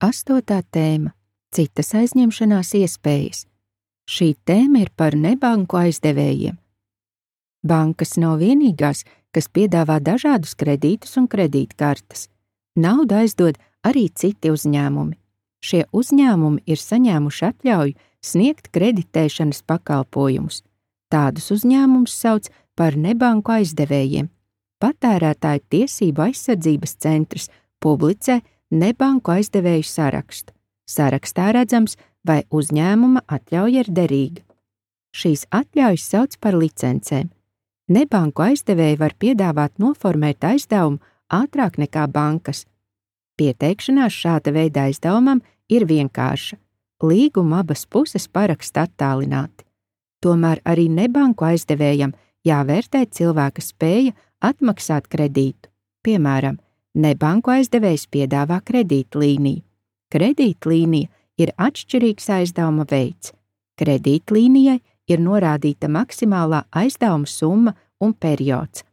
8. tēma – citas aizņemšanās iespējas. Šī tēma ir par nebanku aizdevējiem. Bankas nav vienīgās, kas piedāvā dažādus kredītus un kredītkartes. Naudu aizdod arī citi uzņēmumi. Šie uzņēmumi ir saņēmuši atļauju sniegt kreditēšanas pakalpojumus. Tādus uzņēmumus sauc par nebanku aizdevējiem. Patērētāju tiesību aizsardzības centrs publicē nebanku aizdevēju sarakstu. Sarakstā redzams, vai uzņēmuma atļauja ir derīga. Šīs atļaujas sauc par licencēm. Nebanku aizdevēji var piedāvāt noformēt aizdevumu ātrāk nekā bankas. Pieteikšanās šāda veida aizdevumam ir vienkārša. Līgumu abas puses paraksta attālināti. Tomēr arī nebanku aizdevējam jāvērtē cilvēka spēja atmaksāt kredītu. Piemēram, nebanku aizdevējs piedāvā kredītlīniju. Kredītlīnija ir atšķirīgs aizdevuma veids. Kredītlīnijai ir norādīta maksimālā aizdevuma summa un periods.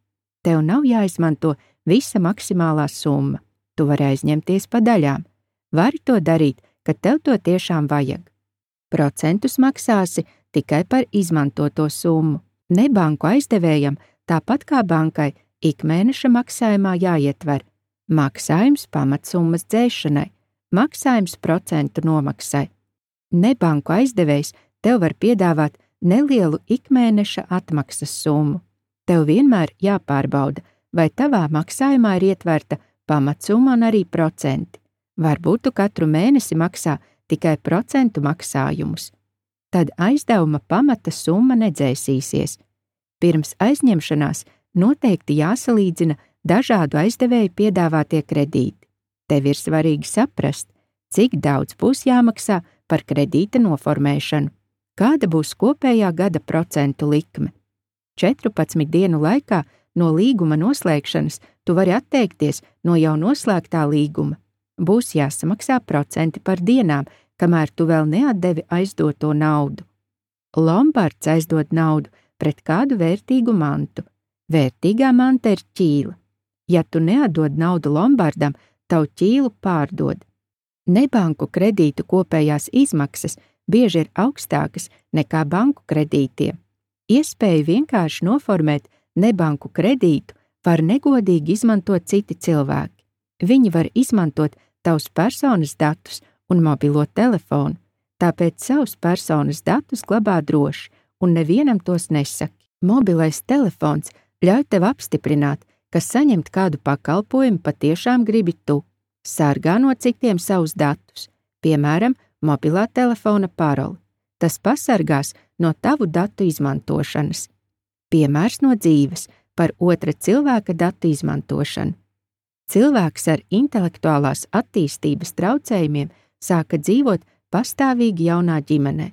Tev nav jāizmanto visa maksimālā summa. Tu vari aizņemties pa daļām. Vari to darīt, kad tev to tiešām vajag. Procentus maksāsi tikai par izmantoto summu. Nebanku aizdevējam, tāpat kā bankai, ikmēneša maksājumā jāietver maksājums pamatsummas dzēšanai, maksājums procentu nomaksai. Nebanku aizdevējs tev var piedāvāt nelielu ikmēneša atmaksas summu. Tev vienmēr jāpārbauda, vai tavā maksājumā ir ietverta pamatsumma un arī procenti. Varbūt tu katru mēnesi maksā tikai procentu maksājumus. Tad aizdevuma pamata summa nedzēsīsies. Pirms aizņemšanās noteikti jāsalīdzina dažādu aizdevēju piedāvātie kredīti. Tev ir svarīgi saprast, cik daudz būs jāmaksā par kredīta noformēšanu, kāda būs kopējā gada procentu likme. 14 dienu laikā no līguma noslēgšanas tu vari atteikties no jau noslēgtā līguma. Būs jāsamaksā procenti par dienām, kamēr tu vēl neatdevi aizdoto naudu. Lombards aizdod naudu pret kādu vērtīgu mantu. Vērtīgā manta ir ķīla. Ja tu neatdod naudu lombardam, tavu ķīlu pārdod. Nebanku kredītu kopējās izmaksas bieži ir augstākas nekā banku kredītiem. Iespēju vienkārši noformēt nebanku kredītu var negodīgi izmantot citi cilvēki. Viņi var izmantot tavus personas datus un mobilo telefonu, tāpēc savus personas datus glabā droši un nevienam tos nesaki. Mobilais telefons ļauj tev apstiprināt, ka saņemt kādu pakalpojumu patiešām gribi tu. Sargā no citiem savus datus, piemēram, mobilā telefona paroli. Tas pasargās no tavu datu izmantošanas. Piemērs no dzīves par otra cilvēka datu izmantošanu. Cilvēks ar intelektuālās attīstības traucējumiem sāka dzīvot pastāvīgi jaunā ģimenē.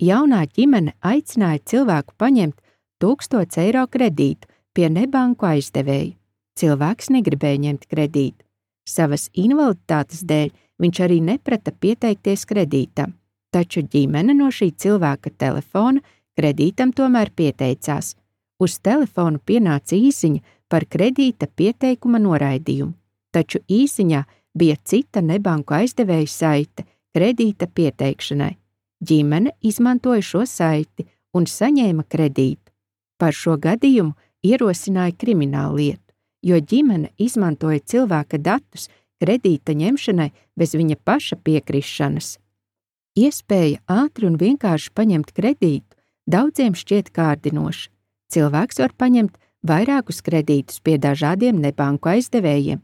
Jaunā ģimene aicināja cilvēku paņemt 1000 eiro kredītu pie nebanku aizdevēja. Cilvēks negribēja ņemt kredītu. Savas invaliditātes dēļ viņš arī neprata pieteikties kredītam, taču ģimene no šī cilvēka telefona kredītam tomēr pieteicās. Uz telefonu pienāca īsiņa par kredīta pieteikuma noraidījumu, taču īsiņā bija cita nebanku aizdevēja saite kredīta pieteikšanai. Ģimene izmantoja šo saiti un saņēma kredītu. Par šo gadījumu ierosināja krimināllietu, jo ģimene izmantoja cilvēka datus kredīta ņemšanai bez viņa paša piekrišanas. Iespēja ātri un vienkārši paņemt kredītu daudziem šķiet kārdinoša. Cilvēks var paņemt vairākus kredītus pie dažādiem nebanku aizdevējiem,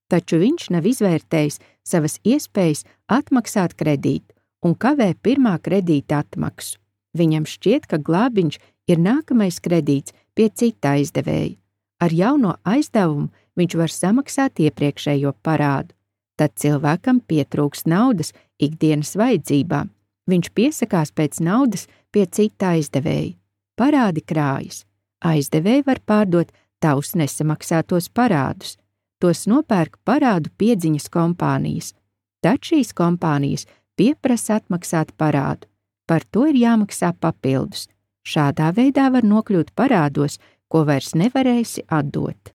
taču viņš nav izvērtējis savas iespējas atmaksāt kredītu un kavē pirmā kredīta atmaksu. Viņam šķiet, ka glābiņš ir nākamais kredīts pie cita aizdevēja. Ar jauno aizdevumu viņš var samaksāt iepriekšējo parādu. Tad cilvēkam pietrūks naudas ikdienas vajadzībām. Viņš piesakās pēc naudas pie cita aizdevēja. Parādi krājas. Aizdevēji var pārdot tavus nesamaksātos parādus. Tos nopērk parādu piedziņas kompānijas. Tad šīs kompānijas pieprasa atmaksāt parādu. Par to ir jāmaksā papildus. Šādā veidā var nokļūt parādos, ko vairs nevarēsi atdot.